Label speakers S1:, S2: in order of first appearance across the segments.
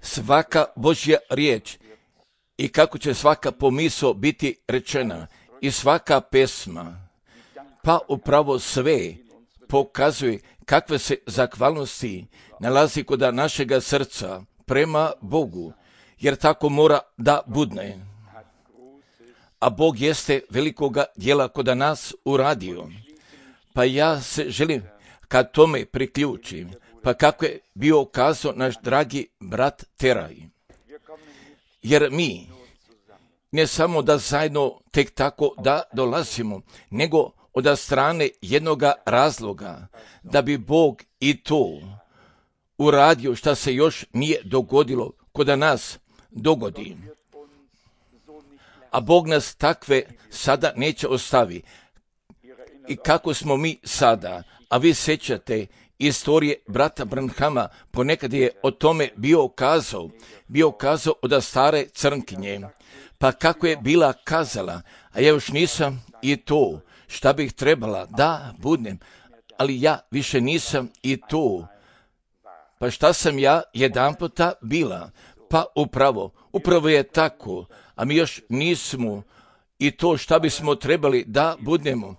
S1: svaka Božja riječ i kako će svaka pomisao biti rečena i svaka pesma, pa upravo sve pokazuje kakve se zahvalnosti nalazi kod našega srca prema Bogu, jer tako mora da budne. A Bog jeste velikoga djela kod nas uradio. Pa ja se želim kad tome priključim, pa kako je bio kazao naš dragi brat Teraj. Jer mi ne samo da zajedno tek tako da dolazimo, nego od strane jednoga razloga, da bi Bog i to uradio šta se još nije dogodilo kod nas dogodi. A Bog nas takve sada neće ostavi. I kako smo mi sada, a vi sjećate istorije brata Branhama, ponekad je o tome bio kazao od stare crnkinje, pa kako je bila kazala, a ja još nisam i to šta bih trebala da budem, ali ja više nisam i to. Pa šta sam ja jedanputa bila? Pa upravo je tako, a mi još nismo i to šta bismo trebali da budemo,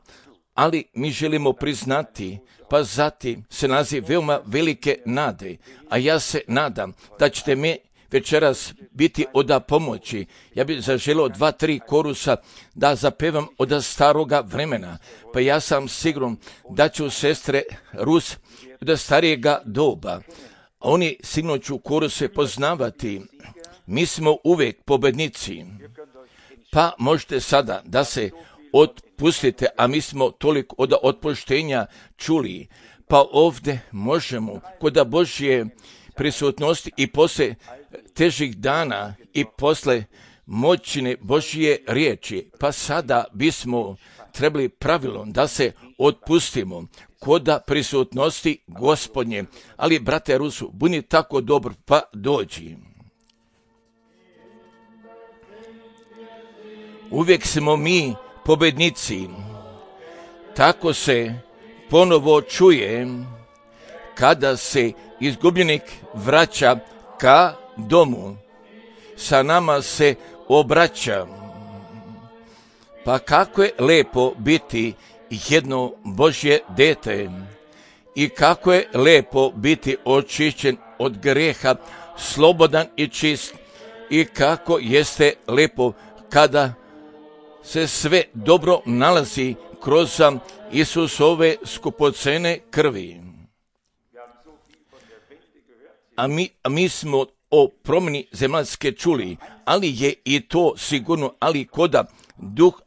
S1: ali mi želimo priznati, pa zatim se nalazi veoma velike nade, a ja se nadam da ćete mi večeras biti od pomoći. Ja bih zaželio 2-3 korusa da zapevam od staroga vremena, pa ja sam siguran da ću sestre Rus od starijega doba, oni sigurno ću koruse poznavati. Mi smo uvijek pobednici, pa možete sada da se otpustite, a mi smo toliko od otpuštenja čuli, pa ovdje možemo kod Božje prisutnosti i poslije težih dana i poslije moćne Božje riječi, pa sada bismo trebali pravilom da se otpustimo kod prisutnosti Gospodnje. Ali, brate Rusu, budi tako dobro, pa dođi. Uvijek smo mi pobednici. Tako se ponovo čuje kada se izgubljenik vraća ka domu. Sa nama se obraća. Pa kako je lepo biti jedno Božje dete i kako je lepo biti očišćen od grijeha, slobodan i čist, i kako jeste lepo kada se sve dobro nalazi kroz Isusove skupocene krvi. A mi smo o promjeni zemaljske čuli, ali je i to sigurno,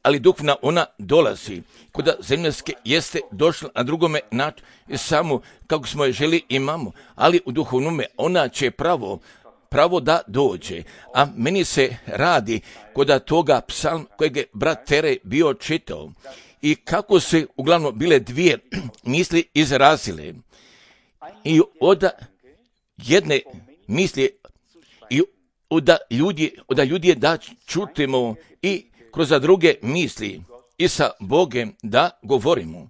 S1: ali duhovna ona dolazi. Koda zemaljske jeste došla na drugome način, samo kako smo je želi imamo, ali u duhovnome ona će pravo da dođe. A meni se radi kod toga psalm kojeg je brat Tere bio čitao i kako se uglavnom bile dvije misli izrazile. I od jedne misli i od ljudi je da čutimo i kroz druge misli i sa Bogem da govorimo.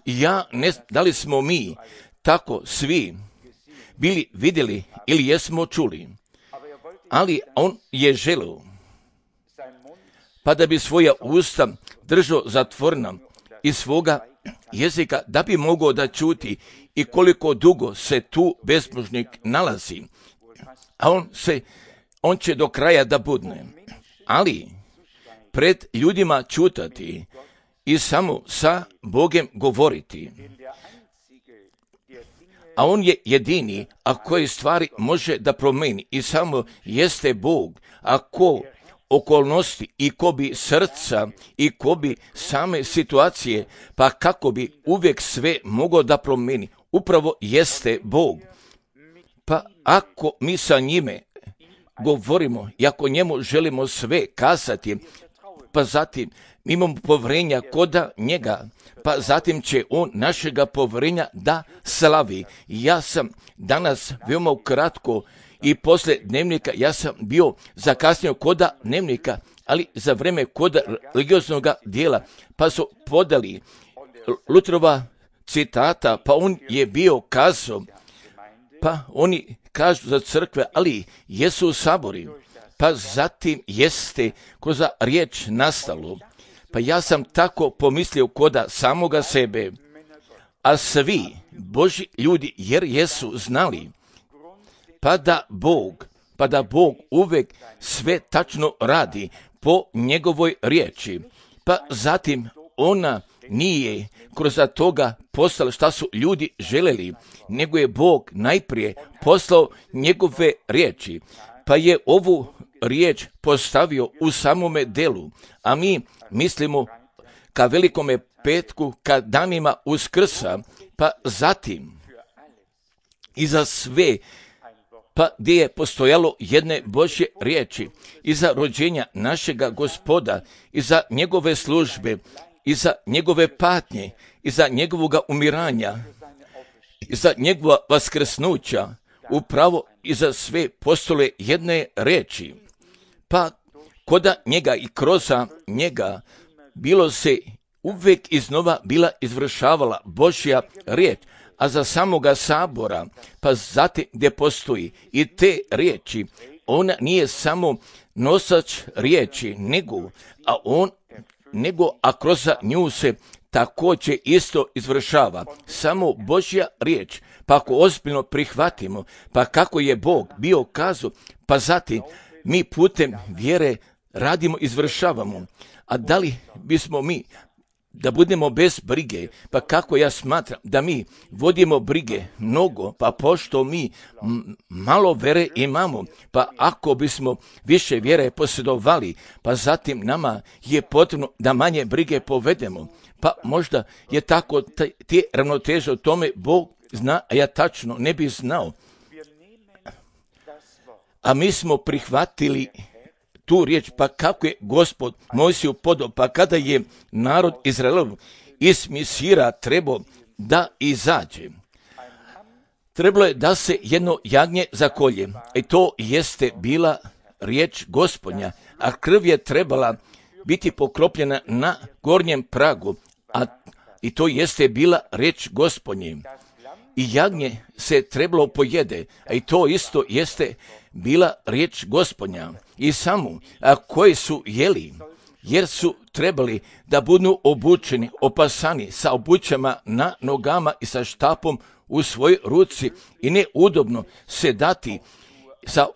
S1: Ja ne znam da li smo mi tako svi bili vidjeli ili jesmo čuli, ali on je želio, pa da bi svoja usta držao zatvorena i svoga jezika da bi mogao da čuti i koliko dugo se tu bezbožnik nalazi, a on će do kraja da budne, ali pred ljudima čutati i samo sa Bogem govoriti. A on je jedini, a koji stvari može da promeni i samo jeste Bog, a ko okolnosti i ko bi srca i ko bi same situacije, pa kako bi uvijek sve mogao da promeni, upravo jeste Bog. Pa ako mi sa njime govorimo i ako njemu želimo sve kazati, pa zatim imamo povjerenja kod njega, pa zatim će on našega povjerenja da slavi. Ja sam danas veoma kratko i poslije dnevnika, ja sam bio zakasnio kod dnevnika, ali za vreme kod religioznog dijela, pa su podali Lutrova citata, pa on je bio kazao, pa oni kažu za crkve, ali jesu sabori, pa zatim jeste kroz riječ nastalo. Pa ja sam tako pomislio koda samoga sebe, a svi Božji ljudi jer jesu znali, pa da Bog uvek sve tačno radi po njegovoj riječi, pa zatim ona nije kroz toga poslala šta su ljudi želeli, nego je Bog najprije poslao njegove riječi, pa je ovu riječ postavio u samome delu, a mi mislimo ka velikome petku, ka danima Uskrsa, pa zatim i za sve, pa gdje je postojalo jedne Božje riječi, i za rođenja našega Gospoda, i za njegove službe, i za njegove patnje, i za njegovoga umiranja, i za njegova vaskrsnuća, upravo i za sve postole jedne riječi. Pa koda njega i kroz njega bilo se uvijek iznova bila izvršavala Božja riječ, a za samoga sabora, pa zatim gdje postoji i te riječi, ona nije samo nosač riječi, a kroz nju se također isto izvršava samo Božja riječ. Pa ako ozbiljno prihvatimo, pa kako je Bog bio kazao, pa zatim mi putem vjere radimo, izvršavamo. A da li bismo mi da budemo bez brige, pa kako ja smatram da mi vodimo brige mnogo, pa pošto mi malo vere imamo, pa ako bismo više vjere posjedovali, pa zatim nama je potrebno da manje brige povedemo, pa možda je tako te ravnoteže o tome Bog zna, a ja tačno ne bi znao. A mi smo prihvatili tu riječ, pa kako je Gospod Mojsiju podao, pa kada je narod Izraelov iz Misira trebao da izađe, trebalo je da se jedno jagnje zakolje, i to jeste bila riječ Gospodnja, a krv je trebala biti pokropljena na gornjem pragu, i to jeste bila riječ Gospodnje. I jagnje se trebalo pojede, a i to isto jeste bila riječ Gospodnja. I samo koji su jeli, jer su trebali da budu obučeni, opasani sa obućama na nogama i sa štapom u svojoj ruci, i ne udobno se dati sa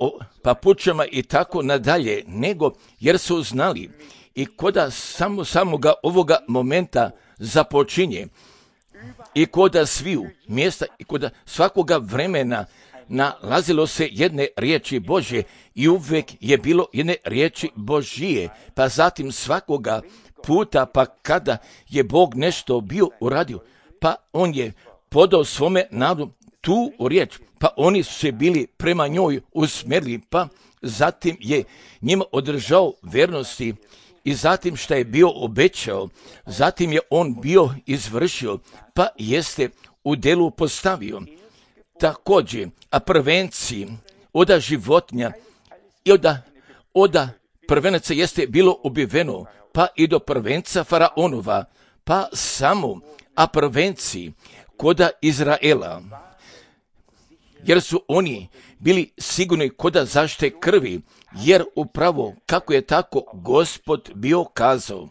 S1: papučama i tako nadalje, nego jer su znali i koda samoga ovoga momenta započinje, i koda sviju mjesta i koda svakoga vremena nalazilo se jedne riječi Božje, i uvijek je bilo jedne riječi Božije, pa zatim svakoga puta, pa kada je Bog nešto bio uradio, pa on je podao svome narodu tu riječ, pa oni su se bili prema njoj usmjerili, pa zatim je njima održao vernosti, i zatim što je bio obećao, zatim je on bio izvršio, pa jeste u delu postavio. Također, a prvenciji oda životinja i oda prvenaca jeste bilo ubiveno, pa i do prvenca faraonova, pa samo, a prvenciji koda Izraela, jer su oni bili sigurni koda zaštite krvi, jer upravo kako je tako Gospod bio kazao,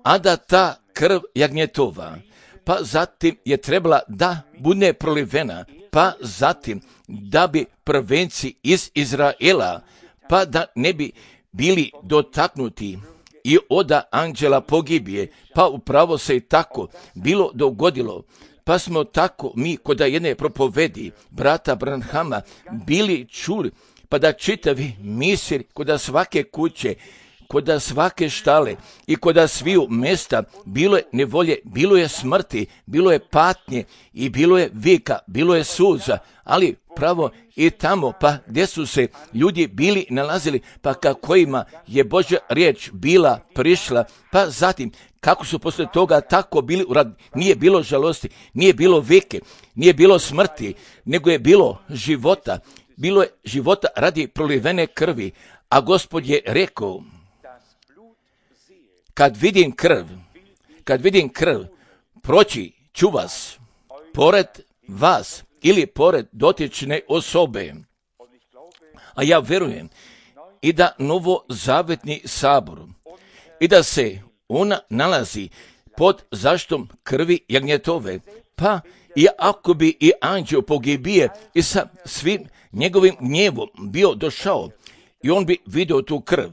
S1: a da ta krv jagnjetova, pa zatim je trebala da bude prolivena, pa zatim da bi prvenci iz Izraela, pa da ne bi bili dotaknuti i oda anđela pogibije, pa upravo se i tako bilo dogodilo. Pa smo tako mi koda jedne propovedi brata Branhama bili čuli, pa da čitavi misir koda svake kuće, koda svake štale i koda sviju mjesta bilo je nevolje, bilo je smrti, bilo je patnje i bilo je vika, bilo je suza, ali pravo i tamo, pa gdje su se ljudi bili nalazili, pa kojima je Božja riječ bila prišla, pa zatim kako su poslije toga tako bili uradili, nije bilo žalosti, nije bilo vike, nije bilo smrti, nego je bilo života. Bilo je života radi prolivene krvi, a Gospod je rekao, kad vidim krv, proći ću vas, pored vas, ili pored dotične osobe. A ja vjerujem i da novozavetni sabor i da se ona nalazi pod zaštitom krvi jagnjetove, pa i ako bi i anđeo pogibije i sa svim njegovim gnjevom bio došao i on bi vidio tu krv,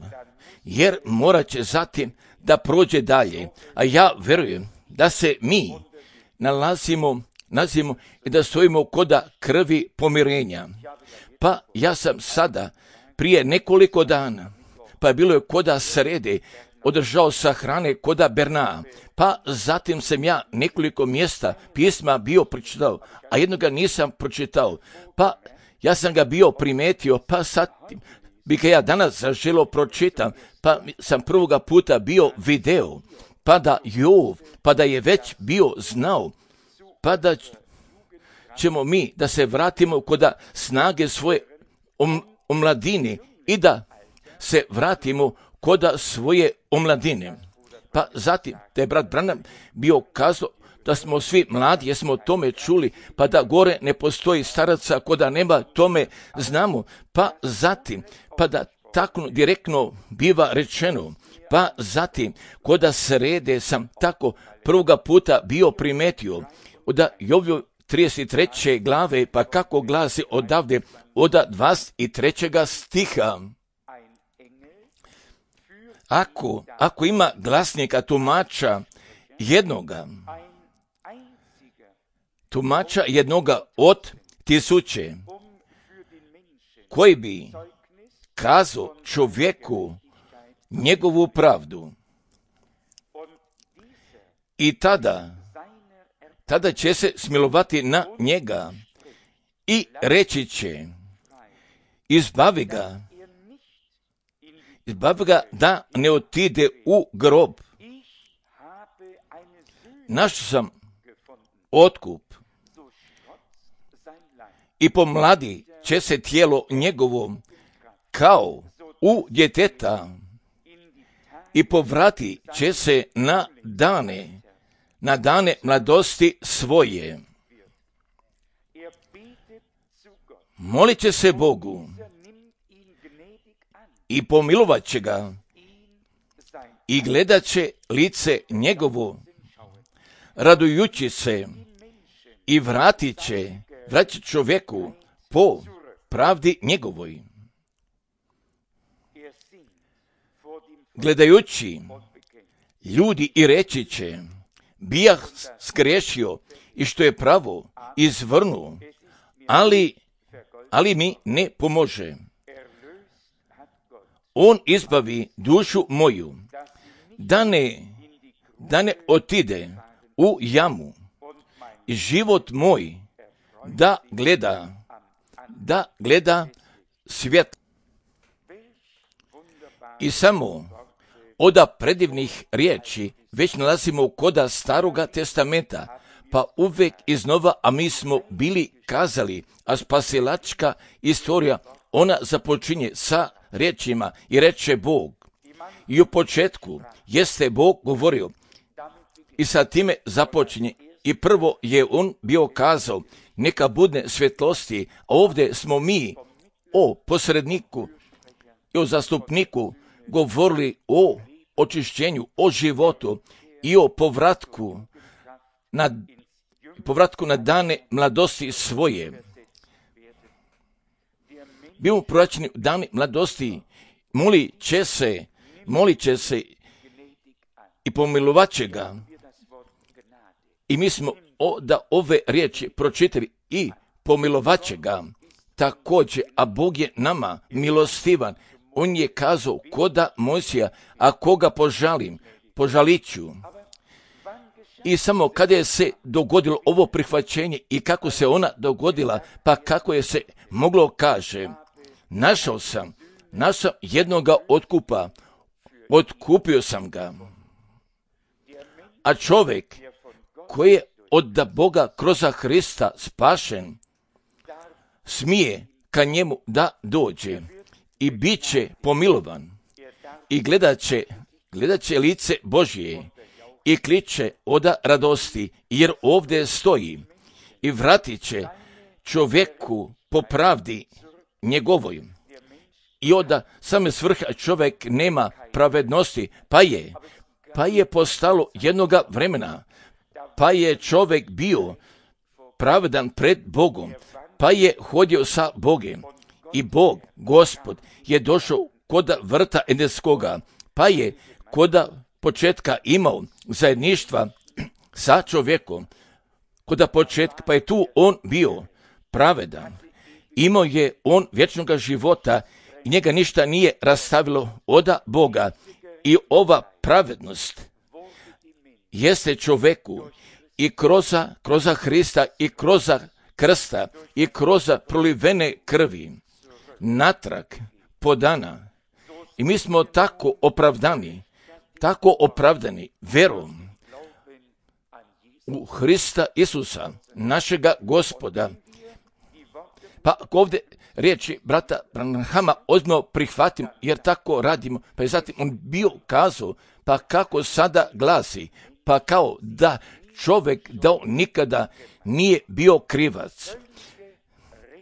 S1: jer morat će zatim da prođe dalje. A ja vjerujem da se mi nalazimo i da stojimo koda krvi pomirenja. Pa ja sam sada prije nekoliko dana, pa bilo je koda srede, održao sahrane koda Bernaa, pa zatim sam ja nekoliko mjesta pisma bio pročitao, a jednoga nisam pročitao, pa ja sam ga bio primetio, pa sad bi ga ja danas zaželio pročitam, pa sam prvoga puta bio video, pa da Jov, pa da je već bio znao, pa da ćemo mi da se vratimo koda snage svoje omladine i da se vratimo koda svoje omladine. Pa zatim, da je brat Branham bio kazao da smo svi mladi, jer smo o tome čuli, pa da gore ne postoji staraca, koda nema tome znamo, pa zatim, pa da tako direktno biva rečeno, pa zatim, koda srede sam tako prvoga puta bio primetio, da Jovio 33. glave, pa kako glasi odavde, od 23. stiha. Ako ima glasnika tumača jednoga od 1000, koji bi kazao čovjeku njegovu pravdu, i tada će se smilovati na njega i reći će, izbavi ga da ne otide u grob. Našao sam otkup i pomladi će se tijelo njegovo kao u djeteta i povrati će se na dane mladosti svoje. Molit će se Bogu i pomilovat će ga i gledat će lice njegovo, radujući se, i vratit će čovjeku po pravdi njegovoj. Gledajući ljudi i reći će, bijah skriješio i što je pravo izvrnuo, ali mi ne pomože. On izbavi dušu moju, da ne otide u jamu, i život moj da gleda svijet. I samo od predivnih riječi već nalazimo koda Staroga testamenta, pa uvijek iznova, a mi smo bili kazali, a spasilačka istorija, ona započinje sa riječima i reče Bog. I u početku jeste Bog govorio i sa time započinje. I prvo je on bio kazao, neka bude svjetlosti, a ovdje smo mi o posredniku i o zastupniku govorili o očišćenju, o životu i o povratku na dane mladosti svoje. Bimo proračeni u dane mladosti, molit će se i pomilovat će ga. I mi smo da ove riječi pročitali i pomilovat će ga također, a Bog je nama milostivan. On je kazao, koda Mojsija, a koga požalit ću. I samo kada je se dogodilo ovo prihvaćenje i kako se ona dogodila, pa kako je se moglo kaže, našao sam jednoga otkupa, otkupio sam ga. A čovjek koji je od Boga kroz Hrista spašen, smije ka njemu da dođe i bit će pomilovan i gledat će lice Božje i kliče od radosti, jer ovdje stoji, i vratit će čovjeku po pravdi njegovoj. I onda same svrha čovjek nema pravednosti, pa je postalo jednoga vremena, pa je čovjek bio pravedan pred Bogom, pa je hodio sa Bogom i Bog, Gospod, je došao koda vrta Edenskoga, pa je koda početka imao zajedništva sa čovjekom, koda početka, pa je tu on bio pravedan, imao je on vječnoga života i njega ništa nije rastavilo od Boga. I ova pravednost jeste čovjeku i kroz Hrista i kroz krsta i kroz prolivene krvi natrag podana. I mi smo tako opravdani verom u Hrista Isusa, našega Gospoda. Pa ovdje riječi brata Branhama ozbiljno prihvatim, jer tako radimo. Pa je zatim on bio kazao, pa kako sada glasi, pa kao da čovjek da nikada nije bio krivac.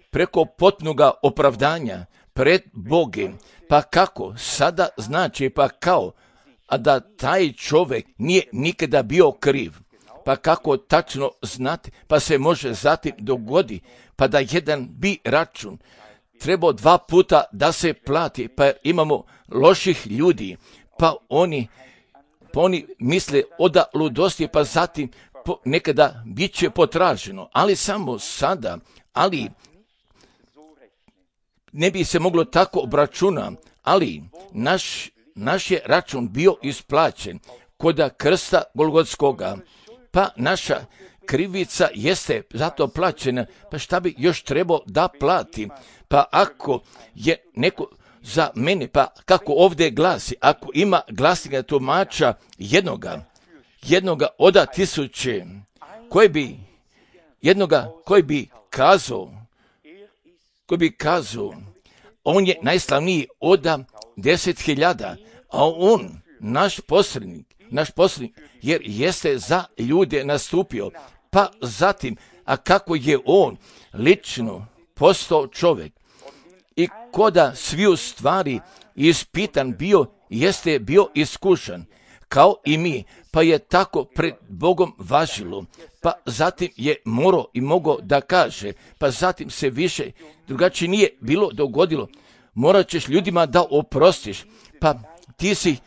S1: Preko potpunoga opravdanja pred Bogom, pa kako sada znači, pa kao, a da taj čovjek nije nikada bio kriv. Pa kako tačno znati, pa se može zatim dogodi, pa da jedan bi račun trebao 2 puta da se plati, pa imamo loših ljudi, pa oni misle oda ludosti, pa zatim nekada bit će potraženo, ali samo sada, ali ne bi se moglo tako obračuna, ali naš je račun bio isplaćen koda krsta Golgotskoga, pa naša krivica jeste zato plaćena, pa šta bi još trebao da plati? Pa ako je neko za mene, pa kako ovdje glasi, ako ima glasnika tumača jednoga od 1000, koji bi kazao, on je najslavniji od 10.000, a on, naš posrednik, jer jeste za ljude nastupio, pa zatim, a kako je on lično postao čovjek i koda sviju stvari ispitan bio, jeste bio iskušan, kao i mi, pa je tako pred Bogom važilo, pa zatim je morao i mogao da kaže, pa zatim se više drugačije nije bilo dogodilo, morat ćeš ljudima da oprostiš, pa ti si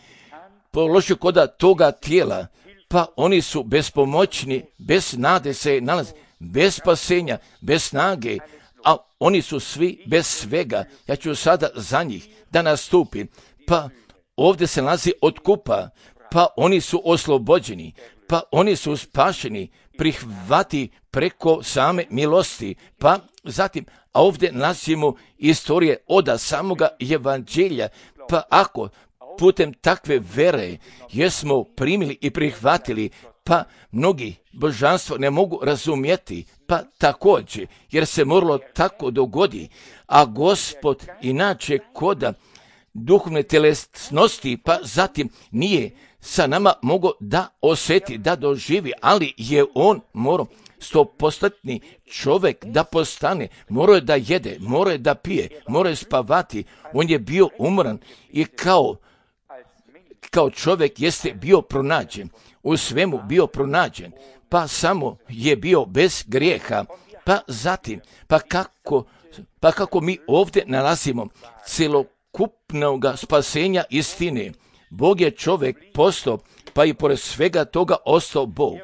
S1: položio koda toga tijela, pa oni su bespomoćni, bez nade se nalaze, bez spasenja, bez snage, a oni su svi bez svega. Ja ću sada za njih da nastupim, pa ovdje se nalazi otkupa, pa oni su oslobođeni, pa oni su spašeni, prihvati preko same milosti, pa zatim, a ovdje nalazimo istorije od samoga evanđelja, pa ako putem takve vere jesmo primili i prihvatili, pa mnogi božanstvo ne mogu razumjeti, pa također, jer se moralo tako dogodi, a Gospod inače koda duhovne telesnosti, pa zatim nije sa nama mogao da osjeti, da doživi, ali je on morao 100% čovjek da postane, morao je da jede, morao je da pije, morao je spavati, on je bio umoran i kao čovjek jeste bio pronađen, u svemu bio pronađen, pa samo je bio bez grijeha, pa zatim, pa kako mi ovdje nalazimo celokupnog spasenja istine, Bog je čovjek postao, pa i pored svega toga ostao Bog.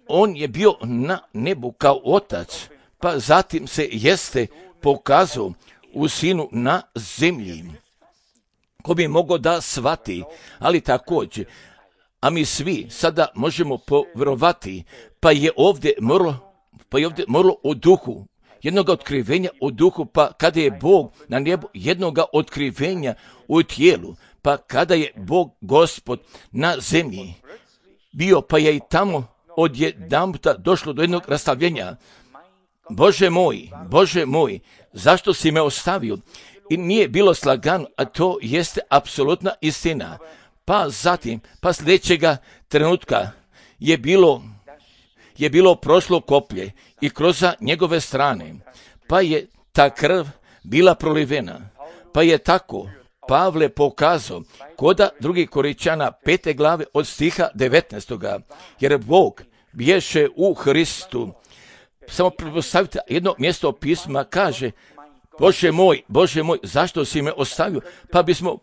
S1: On je bio na nebu kao otac, pa zatim se jeste pokazao u sinu na zemlji. Ko bi mogao da shvati, ali također, a mi svi sada možemo povjerovati, pa je ovdje moralo u duhu, jednoga otkrivenja u duhu, pa kada je Bog na nebu, jednoga otkrivenja u tijelu, pa kada je Bog Gospod na zemlji bio, pa je i tamo odjedanputa došlo do jednog rastavljenja. Bože moj, zašto si me ostavio? I nije bilo slagano, a to jeste apsolutna istina. Pa zatim, pa sljedećega trenutka je je bilo prošlo koplje i kroz njegove strane, pa je ta krv bila prolivena, pa je tako Pavle pokazao koda 2. Korinćana 5. glave od stiha 19. Jer Bog bješe u Hristu. Samo pretpostavite, jedno mjesto pisma kaže: Bože moj, zašto si me ostavio? Pa bismo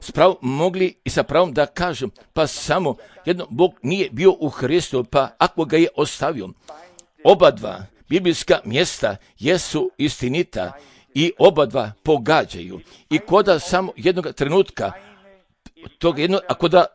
S1: s pravom mogli i sa pravom da kažem, pa samo jedno, Bog nije bio u Hristu, pa ako ga je ostavio. Oba dva biblijska mjesta jesu istinita i oba dva pogađaju. I koda samo jednog trenutka toga jedno, a koda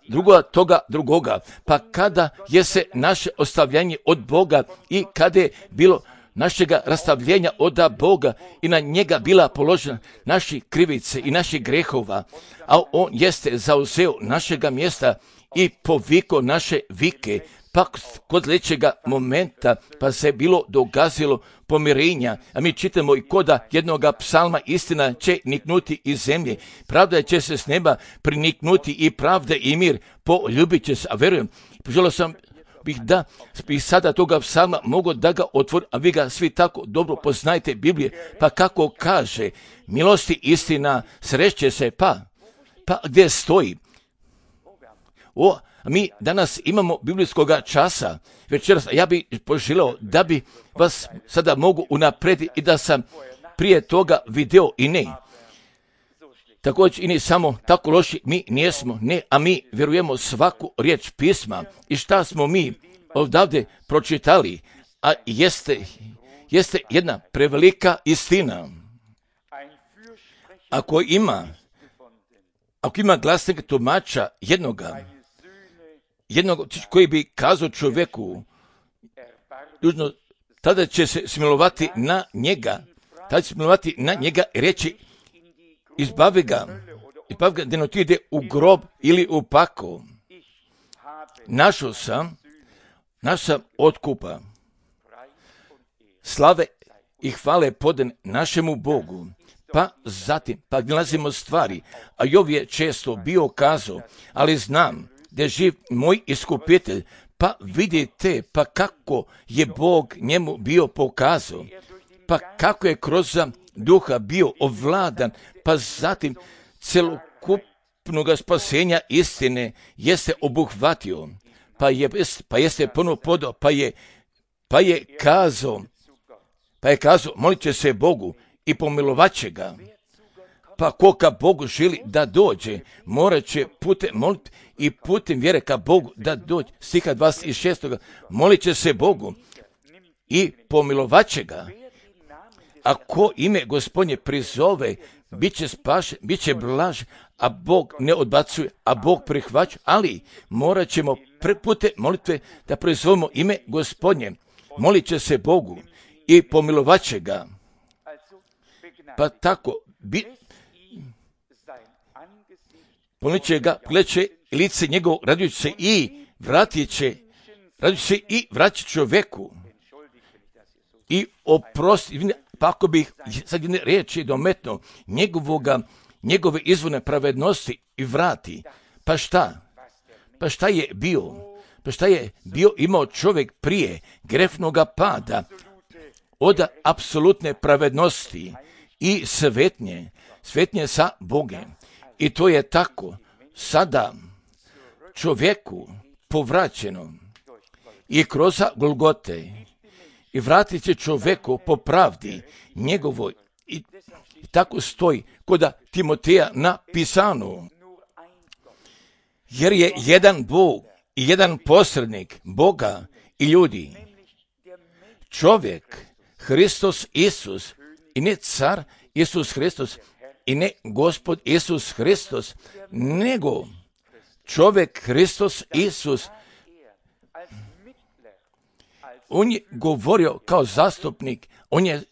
S1: drugoga, pa kada je se naše ostavljanje od Boga i kada je bilo našega rastavljenja od Boga i na njega bila položena naši krivice i naših grehova, a on jeste zauzeo našega mjesta i poviko naše vike, pa kod sljedećega momenta pa se bilo dogazilo pomirenja, a mi čitamo i koda jednoga psalma: istina će niknuti iz zemlje, pravda će se s neba priniknuti i pravda i mir poljubit će se. A verujem, poželio sam da bih sada toga psalma mogu da ga otvorim, a vi ga svi tako dobro poznajete Biblije, pa kako kaže: milosti istina sreće se, pa gdje stoji? Mi danas imamo biblijskoga časa večeras, a ja bih poželio da bi vas sada mogu unaprijedi i da sam prije toga video i ne. Također i ne samo tako loši mi nijesmo, ne, a mi vjerujemo svaku riječ pisma. I šta smo mi odavde pročitali, a jeste jedna prevelika istina. Ako ima glasnika tumača jednoga koji bi kazao čovjeku, tada će se smilovati na njega, i reći: izbavi ga da ne ide u grob ili u pakao. Našao sam otkupa, slave i hvale podan našemu Bogu. Pa zatim, nalazimo stvari, a Jov je često bio kazao: ali znam da je živ moj iskupitelj, pa vidite, pa kako je Bog njemu bio pokazao, pa kako je kroz duha bio ovladan, pa zatim celokupnoga spasenja istine jeste obuhvatio, pa jeste puno podao, pa je kazao, molit će se Bogu i pomilovat će ga. Pa ko ka Bogu želi da dođe, morat će putem molitve i putem vjere ka Bogu da dođe. Stiha 26. Molit će se Bogu i pomilovat će ga. A ko ime Gospodnje prizove, bit će spašen, bit će blaž, a Bog ne odbacuje, a Bog prihvaća, ali morat ćemo putem molitve da prizovemo ime Gospodnje. Molit će se Bogu i pomilovat će ga. Pa tako, pomilit će ga, pogledat će lice njegovo, radujući se i vratit čovjeku i oprosti, pa ako bih sad jedne riječi dometno njegove izvorne pravednosti i vrati. Pa šta je bio? Pa šta je bio imao čovjek prije grefnoga pada od apsolutne pravednosti i svetnje sa Bogem. I to je tako sada čovjeku povraćeno i kroz Golgote i vratit će čovjeku po pravdi njegovoj. I tako stoji kod Timoteja napisano: jer je jedan Bog i jedan posrednik Boga i ljudi, čovjek Hristos Isus, i ne car Isus Hristos, i ne Gospod Isus Hristos, nego čovjek Hristos Isus. On je govorio kao zastupnik, on je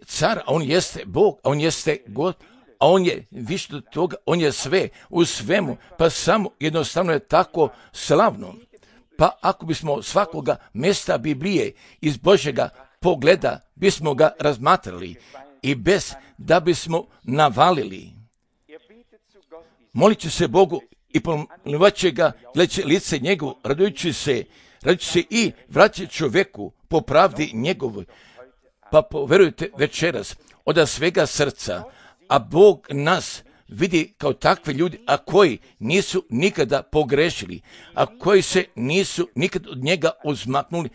S1: car, a on jeste Bog, a on jeste God, a on je više od toga, on je sve u svemu, pa samo jednostavno je tako slavno. Pa ako bismo svakoga mjesta Biblije iz Božjega pogleda bismo ga razmatrali i bez da bismo navalili. Molit će se Bogu i pomilovat će ga, gledat će lice njegovo, radujući se, radi se i vraća čovjeku po pravdi njegovoj. Pa poverujte večeras od svega srca, a Bog nas vidi kao takve ljudi, a koji nisu nikada pogrešili, a koji se nisu nikad od njega uzmaknuli,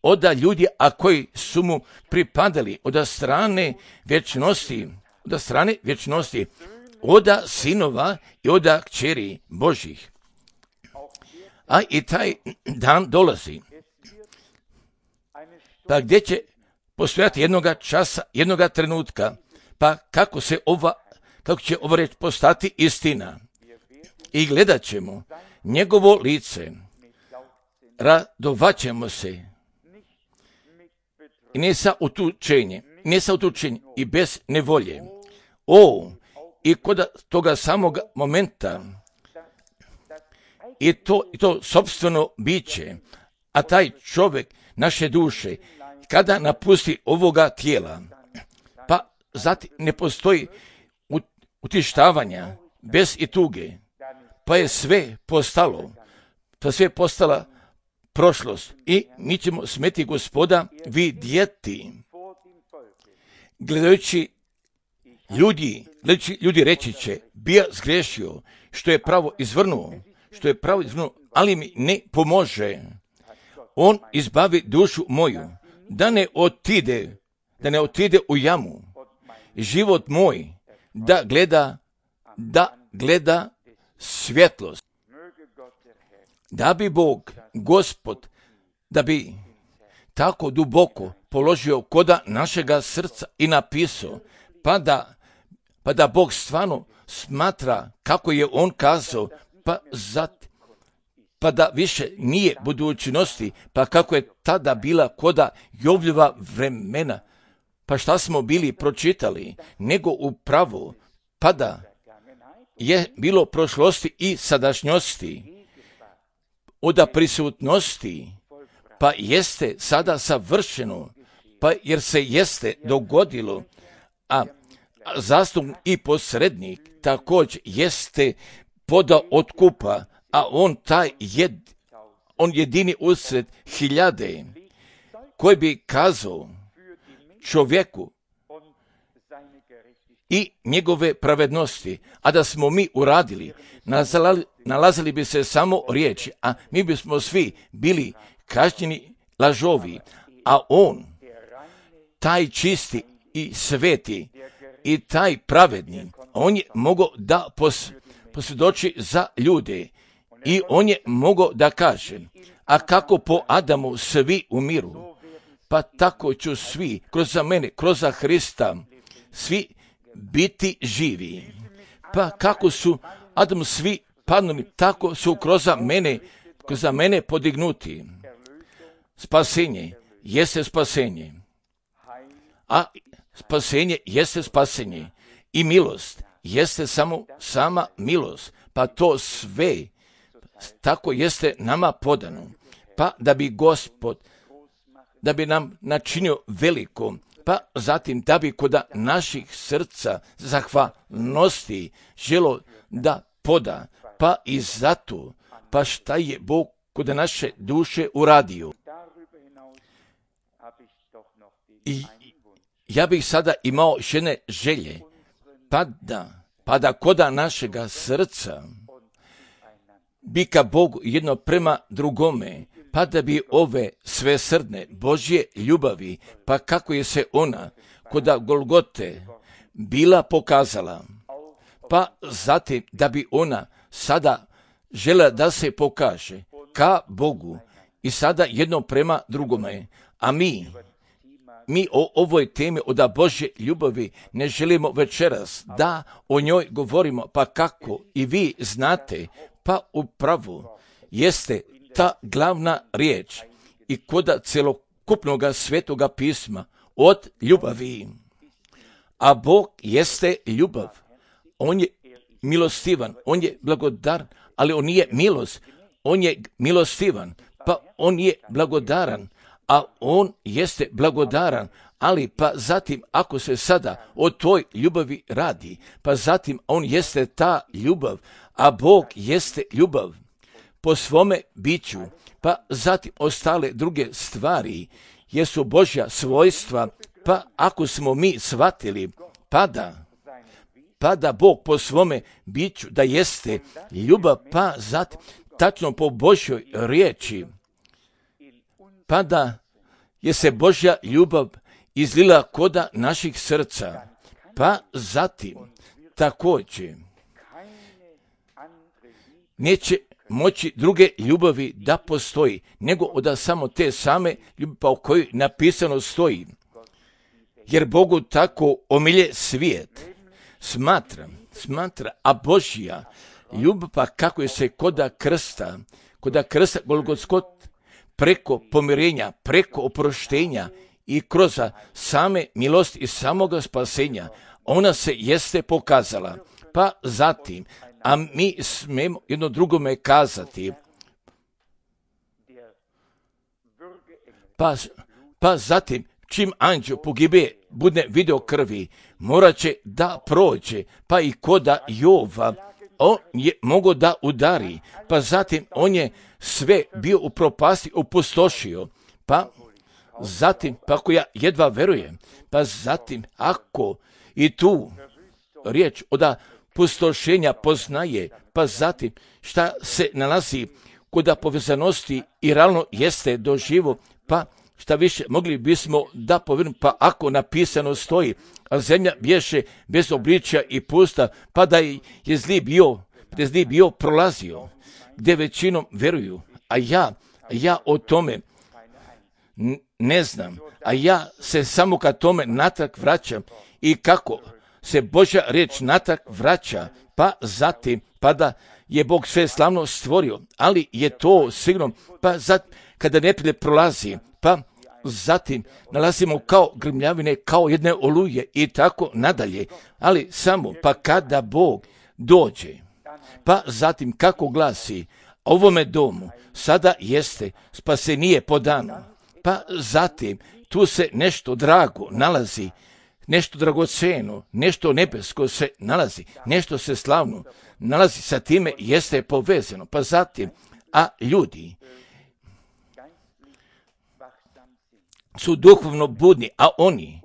S1: od ljudi, a koji su mu pripadali od strane vječnosti, od sinova i od kćeri Božih. A i taj dan dolazi, pa gdje će postojati jednoga časa, jednoga trenutka, pa kako će ova reč postati istina. I gledat ćemo njegovo lice, radovat ćemo se, i ne sa utučenjem i bez nevolje. I kod toga samog momenta, i to sopstveno biće, a taj čovjek naše duše, kada napusti ovoga tijela, pa zatim ne postoji utištavanja bez i tuge, pa je sve postala prošlost i mi ćemo smeti Gospoda vidjeti. Gledajući ljudi reći će, bija zgrešio, što je pravo izvrnuo, ali mi ne pomože. On izbavi dušu moju, da ne otide u jamu. Život moj, da gleda svjetlost. Da bi Bog, Gospod, da bi tako duboko položio koda našega srca i napisao, pa da Bog stvarno smatra kako je on kazao, pa da više nije budućnosti, pa kako je tada bila koda Jovljeva vremena, pa šta smo bili pročitali, nego upravo, pa da je bilo prošlosti i sadašnjosti, od prisutnosti, pa jeste sada savršeno, pa jer se jeste dogodilo, a zastupnik i posrednik također jeste podao otkupa, a on jedini usred hiljade, koji bi kazao čovjeku i njegove pravednosti, a da smo mi uradili, nalazili bi se samo riječi, a mi bismo svi bili kažnjeni lažovi, a on, taj čisti i sveti i taj pravedni, on je mogao da posvjedoči za ljude i on je mogao da kaže, a kako po Adamu svi umiru, pa tako ću svi, kroz mene, kroz Hrista, svi biti živi. Pa kako su Adam svi padnuli, tako su kroz mene podignuti. Spasenje jeste spasenje, a spasenje jeste spasenje i milost jeste sama milost, pa to sve tako jeste nama podano, pa da bi Gospod, da bi nam načinio veliko, pa zatim da bi kod naših srca zahvalnosti želo da poda, pa i zato, pa šta je Bog kod naše duše uradio. I ja bih sada imao žene želje, pa da kod našega srca bi ka Bogu jedno prema drugome, pa da bi ove svesrdne Božje ljubavi, pa kako je se ona kod Golgote bila pokazala, pa zatim da bi ona sada žela da se pokaže ka Bogu i sada jedno prema drugome, a mi o ovoj temi od Božje ljubavi ne želimo večeras da o njoj govorimo, pa kako i vi znate, pa upravo jeste ta glavna riječ i kod celokupnog svetoga pisma od ljubavi. A Bog jeste ljubav. On je milostivan, on je blagodaran, ali on nije milost. On je milostivan, pa on je blagodaran, a on jeste blagodaran, ali pa zatim ako se sada o toj ljubavi radi, pa zatim on jeste ta ljubav, a Bog jeste ljubav, po svome biću, pa zatim ostale druge stvari, jesu Božja svojstva, pa ako smo mi shvatili, pada Bog po svome biću da jeste ljubav, pa zatim tačno po Božjoj riječi, pa da je se Božja ljubav izlila koda naših srca, pa zatim također neće moći druge ljubavi da postoji, nego od samo te same ljubavi pa o kojoj napisano stoji. Jer Bogu tako omilje svijet, smatra, a Božja ljubav pa kako je se koda krsta Golgotskog, preko pomirenja, preko oproštenja i kroz same milosti i samoga spasenja, ona se jeste pokazala. Pa zatim, a mi smemo jedno drugome kazati, pa zatim, čim anđeo pogibe bude video krvi, morat će da prođe, pa i koda Jova, on je mogao da udari, pa zatim on je sve bio u propasti opustošio, pa zatim, pa ako ja jedva verujem, pa zatim, ako i tu riječ od pustošenja poznaje, pa zatim, šta se nalazi kod povezanosti i realno jeste doživo, pa šta više mogli bismo da povjerujemo, pa ako napisano stoji, a zemlja bješe bez obličja i pusta, pa da je zli bio prolazio, gdje većinom veruju, a ja o tome ne znam, a ja se samo ka tome natrag vraćam i kako se Božja riječ natrag vraća, pa zatim, pa da je Bog sve slavno stvorio, ali je to sigurno, pa zatim, kada neprijatelj prolazi, pa zatim nalazimo kao grmljavine, kao jedne oluje i tako nadalje, ali samo pa kada Bog dođe, pa zatim kako glasi, ovome domu sada jeste spasenije podano, pa zatim tu se nešto drago nalazi, nešto dragoceno, nešto nebesko se nalazi, nešto se slavno nalazi, sa time jeste povezano, pa zatim, a ljudi su duhovno budni, a oni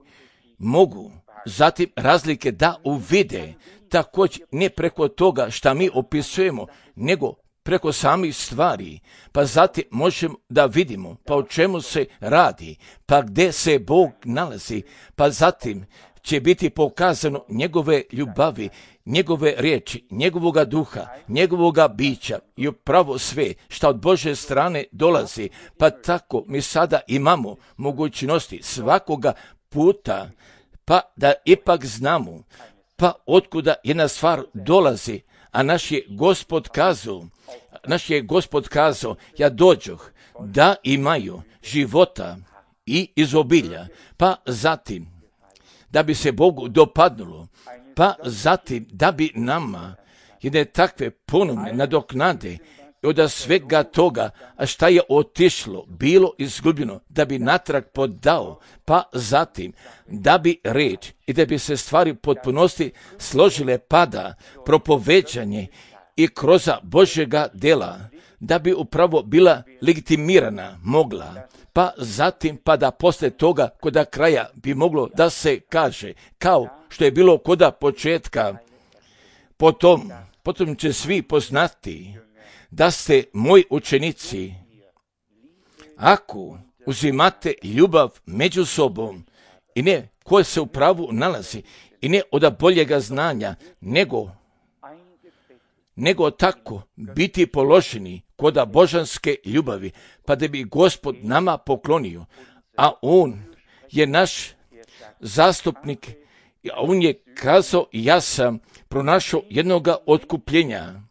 S1: mogu zatim razlike da uvide, također ne preko toga šta mi opisujemo, nego preko samih stvari, pa zatim možemo da vidimo pa o čemu se radi, pa gdje se Bog nalazi, pa zatim će biti pokazano njegove ljubavi, njegove riječi, njegovoga duha, njegovoga bića i upravo sve što od Božje strane dolazi, pa tako mi sada imamo mogućnosti svakoga puta, pa da ipak znamo, pa otkuda jedna stvar dolazi, a naš je Gospod kazao, ja dođoh da imaju života i izobilja, pa zatim da bi se Bogu dopadnulo, pa zatim da bi nama jedne takve ponovne nadoknade od svega toga, a šta je otišlo, bilo izgubljeno, da bi natrag podao, pa zatim da bi reč i da bi se stvari potpunosti složile, pada propoveđanje i kroz Božjega dela, da bi upravo bila legitimirana mogla, pa zatim pa da posle toga koda kraja bi moglo da se kaže, kao što je bilo koda početka, potom će svi poznati da ste moji učenici, ako uzimate ljubav među sobom i ne koje se u pravu nalazi i ne od boljega znanja, nego tako biti položeni koda božanske ljubavi, pa da bi Gospod nama poklonio, a On je naš zastupnik, a On je kazao, ja sam pronašao jednoga otkupljenja,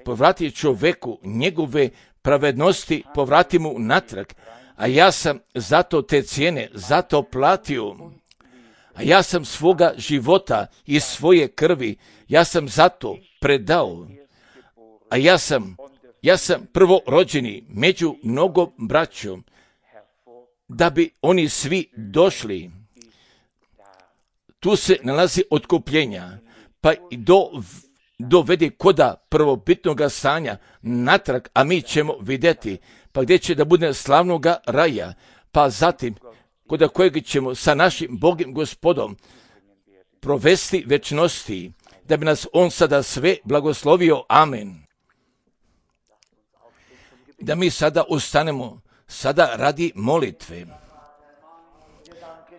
S1: povrati čoveku njegove pravednosti, povrati mu natrag, a ja sam zato te cijene, zato platio, a ja sam svoga života i svoje krvi, ja sam zato predao, a ja sam prvorođeni među mnogom braćom, da bi oni svi došli. Tu se nalazi otkupljenja, pa i do dovedi koda prvobitnoga stanja natrag, a mi ćemo vidjeti, pa gdje će da bude slavnoga raja, pa zatim koda kojeg ćemo sa našim Bogom Gospodom provesti večnosti, da bi nas On sada sve blagoslovio. Amen. Da mi sada ustanemo, sada radi molitve.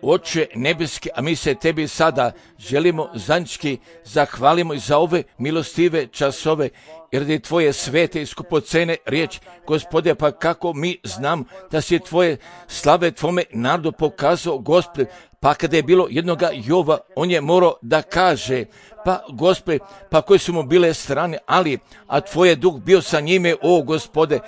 S1: Oče nebeski, a mi se tebi sada želimo zajednički zahvalimo i za ove milostive časove, jer je tvoje svete i skupocene riječ, Gospode, pa kako mi znam da si tvoje slave tvome narodu pokazao, Gospode, pa kada je bilo jednoga Jova, on je morao da kaže, pa Gospode, pa koje su mu bile strane, a tvoj duh bio sa njime, o Gospode,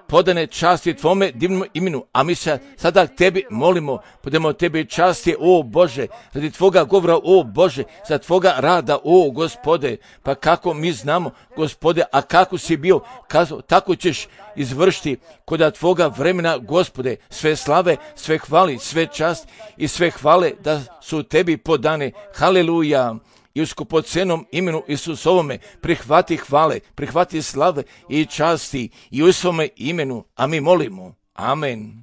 S1: podane časti tvome divnom imenu, a mi se sada tebi molimo, podemo tebi časti, o Bože, radi tvoga govora, o Bože, za tvoga rada, o Gospode, pa kako mi znamo, Gospode, a kako si bio kazao, tako ćeš izvršiti koda tvoga vremena, Gospode, sve slave, sve hvali, sve čast i sve hvale da su tebi podane. Haleluja. I u skupocenom imenu Isusovome prihvati hvale, prihvati slave i časti i u svome imenu, a mi molimo. Amen.